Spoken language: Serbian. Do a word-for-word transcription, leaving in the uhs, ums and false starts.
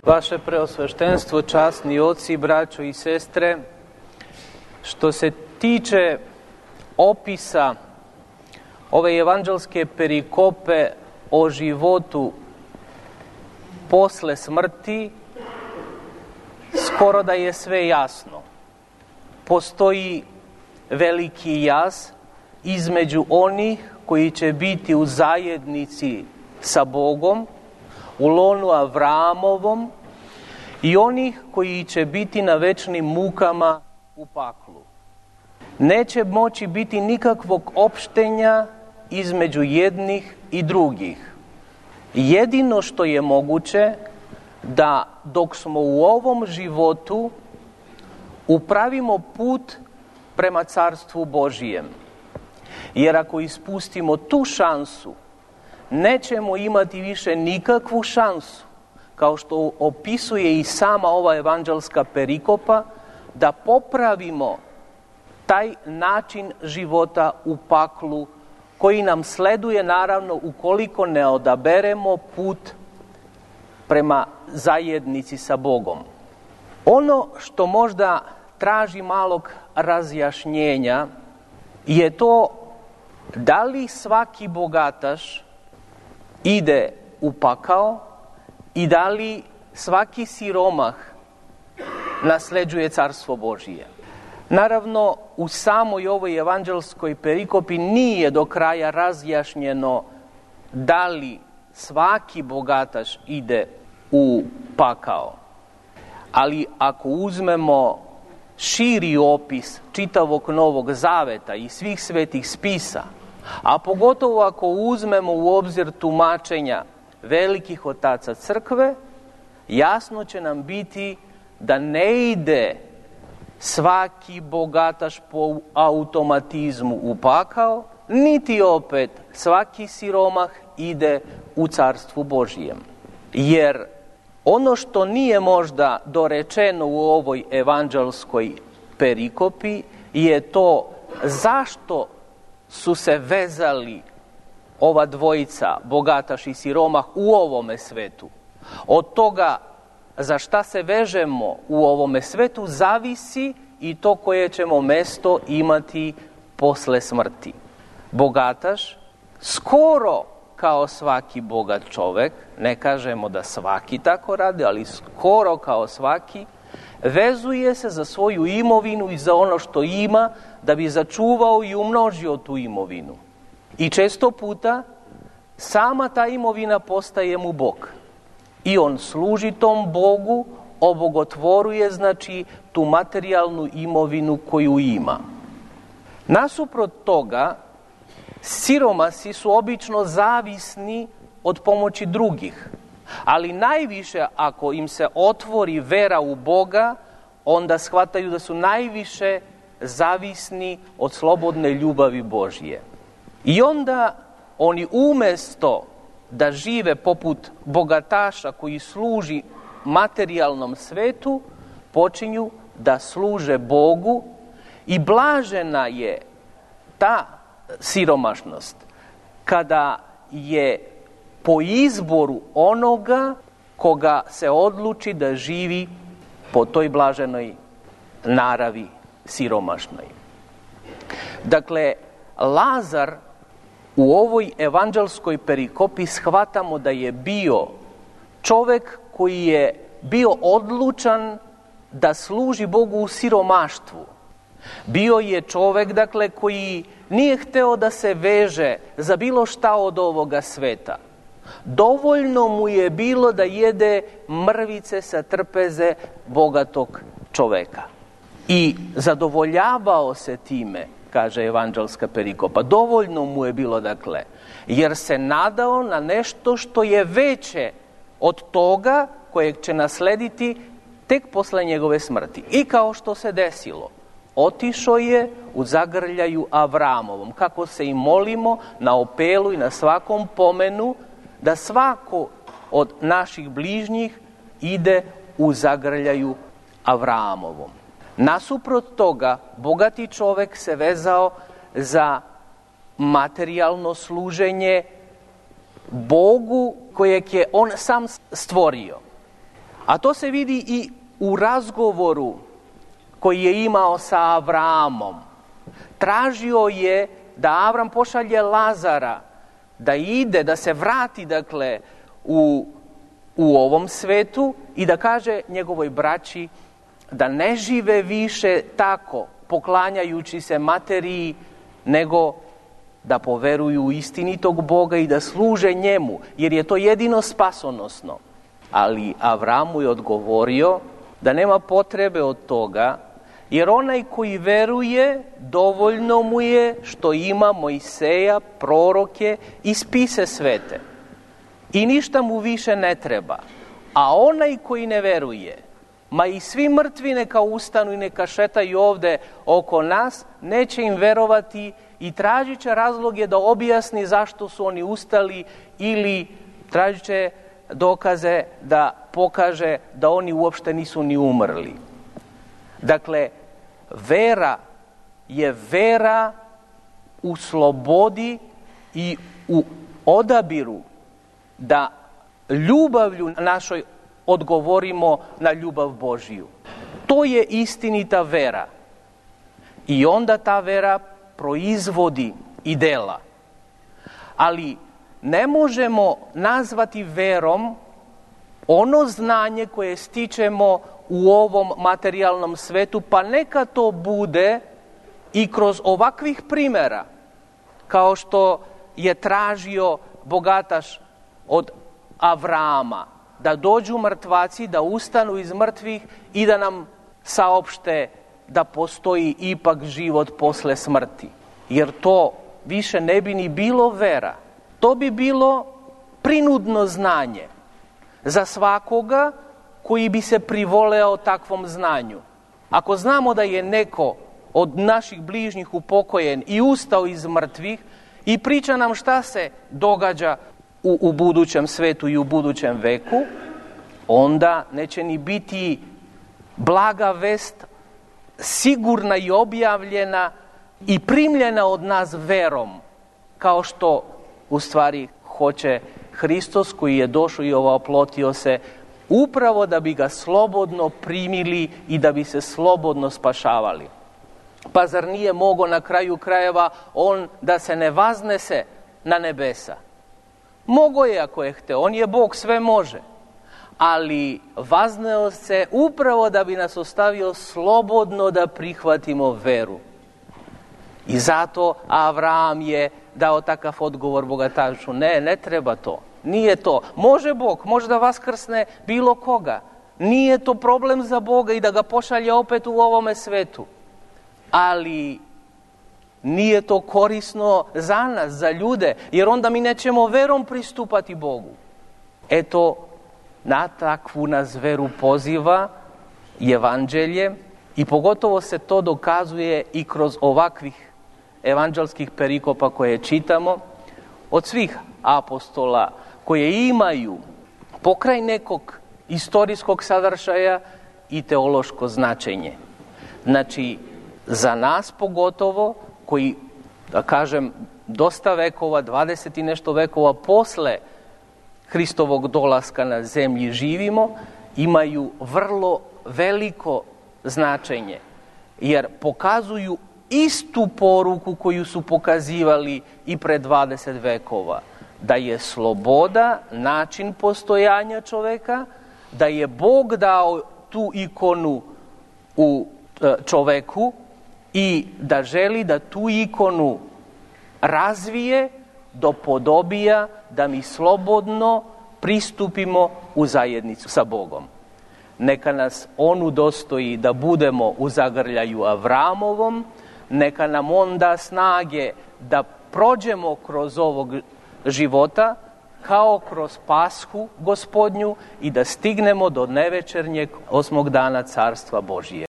Vaše preosveštenstvo, časni oci, braćo i sestre, što se tiče opisa ove evanđelske perikope o životu posle smrti, skoro da je sve jasno. Postoji veliki jaz između onih koji će biti u zajednici sa Bogom, u lonu Avramovom, i onih koji će biti na večnim mukama u paklu. Neće moći biti nikakvog opštenja između jednih i drugih. Jedino što je moguće da dok smo u ovom životu upravimo put prema Carstvu Božijem. Jer ako ispustimo tu šansu, nećemo imati više nikakvu šansu, kao što opisuje i sama ova evanđelska perikopa, da popravimo taj način života u paklu koji nam sleduje, naravno, ukoliko ne odaberemo put prema zajednici sa Bogom. Ono što možda traži malog razjašnjenja je to da li svaki bogataš ide u pakao i da li svaki siromah nasleđuje Carstvo Božije. Naravno, u samoj ovoj evanđelskoj perikopi nije do kraja razjašnjeno da li svaki bogataš ide u pakao. Ali ako uzmemo širi opis čitavog Novog Zaveta i svih svetih spisa, a pogotovo ako uzmemo u obzir tumačenja velikih otaca crkve, jasno će nam biti da ne ide svaki bogataš po automatizmu u pakao, niti opet svaki siromah ide u Carstvu Božijem. Jer ono što nije možda dorečeno u ovoj evanđelskoj perikopi je to zašto su se vezali ova dvojica, bogataš i siromah, u ovome svetu. Od toga za šta se vežemo u ovome svetu zavisi i to koje ćemo mesto imati posle smrti. Bogataš, skoro kao svaki bogat čovek, ne kažemo da svaki tako radi, ali skoro kao svaki, vezuje se za svoju imovinu i za ono što ima da bi začuvao i umnožio tu imovinu. I često puta sama ta imovina postaje mu Bog. I on služi tom Bogu, obogotvoruje, znači, tu materijalnu imovinu koju ima. Nasuprot toga, siromasi su obično zavisni od pomoći drugih, ali najviše ako im se otvori vera u Boga, onda shvataju da su najviše zavisni od slobodne ljubavi Božije. I onda oni umesto da žive poput bogataša koji služi materijalnom svetu, počinju da služe Bogu i blažena je ta siromašnost kada je po izboru onoga koga se odluči da živi po toj blaženoj naravi siromašnoj. Dakle, Lazar u ovoj evanđelskoj perikopi shvatamo da je bio čovek koji je bio odlučan da služi Bogu u siromaštvu. Bio je čovek, dakle, koji nije hteo da se veže za bilo šta od ovoga sveta. Dovoljno mu je bilo da jede mrvice sa trpeze bogatog čoveka. I zadovoljavao se time, kaže evanđelska perikopa. Dovoljno mu je bilo, dakle, jer se nadao na nešto što je veće od toga kojeg će naslediti tek posle njegove smrti. I kao što se desilo, otišao je u zagrljaju Avramovom, kako se i molimo na opelu i na svakom pomenu, da svako od naših bližnjih ide u zagrljaju Avramovom. Nasuprot toga, bogati čovek se vezao za materijalno služenje Bogu kojeg je on sam stvorio. A to se vidi i u razgovoru koji je imao sa Avramom. Tražio je da Avram pošalje Lazara, da ide, da se vrati, dakle, u, u ovom svetu i da kaže njegovoj braći da ne žive više tako, poklanjajući se materiji, nego da poveruju u istinitog Boga i da služe njemu, jer je to jedino spasonosno. Ali Avramu je odgovorio da nema potrebe od toga, jer onaj koji veruje, dovoljno mu je što ima Mojseja, proroke i spise svete. I ništa mu više ne treba. A onaj koji ne veruje, ma i svi mrtvi neka ustanu i neka šetaju ovde oko nas, neće im verovati i tražit će razloge da objasni zašto su oni ustali ili tražit će dokaze da pokaže da oni uopšte nisu ni umrli. Dakle, vera je vera u slobodi i u odabiru da ljubavlju našoj odgovorimo na ljubav Božiju. To je istinita vera. I onda ta vera proizvodi i dela. Ali ne možemo nazvati verom ono znanje koje stičemo u ovom materijalnom svetu, pa neka to bude i kroz ovakvih primera, kao što je tražio bogataš od Avrama, da dođu mrtvaci, da ustanu iz mrtvih i da nam saopšte da postoji ipak život posle smrti. Jer to više ne bi ni bilo vera. To bi bilo prinudno znanje za svakoga koji bi se privoleo takvom znanju. Ako znamo da je neko od naših bližnjih upokojen i ustao iz mrtvih i priča nam šta se događa u, u budućem svetu i u budućem veku, onda neće ni biti blaga vest sigurna i objavljena i primljena od nas verom, kao što u stvari hoće Hristos koji je došao i oplotio se upravo da bi ga slobodno primili i da bi se slobodno spašavali. Pa zar nije mogao na kraju krajeva on da se ne vaznese na nebesa? Mogao je ako je hteo, on je Bog, sve može. Ali vazneo se upravo da bi nas ostavio slobodno da prihvatimo veru. I zato Avram je dao takav odgovor bogatašu. Ne, ne treba to. Nije to. Može Bog, može da vaskrsne bilo koga. Nije to problem za Boga i da ga pošalje opet u ovome svetu. Ali nije to korisno za nas, za ljude, jer onda mi nećemo verom pristupati Bogu. Eto, na takvu nas veru poziva evanđelje i pogotovo se to dokazuje i kroz ovakvih evanđelskih perikopa koje čitamo od svih apostola koje imaju pokraj nekog istorijskog sadržaja i teološko značenje. Znači, za nas pogotovo, koji, da kažem, dosta vekova, dvadeset i nešto vekova posle Hristovog dolaska na zemlji živimo, imaju vrlo veliko značenje, jer pokazuju istu poruku koju su pokazivali i pre dvadeset vekova, da je sloboda način postojanja čoveka, da je Bog dao tu ikonu u čoveku i da želi da tu ikonu razvije do podobija da mi slobodno pristupimo u zajednicu sa Bogom. Neka nas on udostoji da budemo u zagrljaju Avramovom, neka nam on da snage da prođemo kroz ovog života kao kroz Pashu Gospodnju i da stignemo do nevečernjeg osmog dana Carstva Božijeg.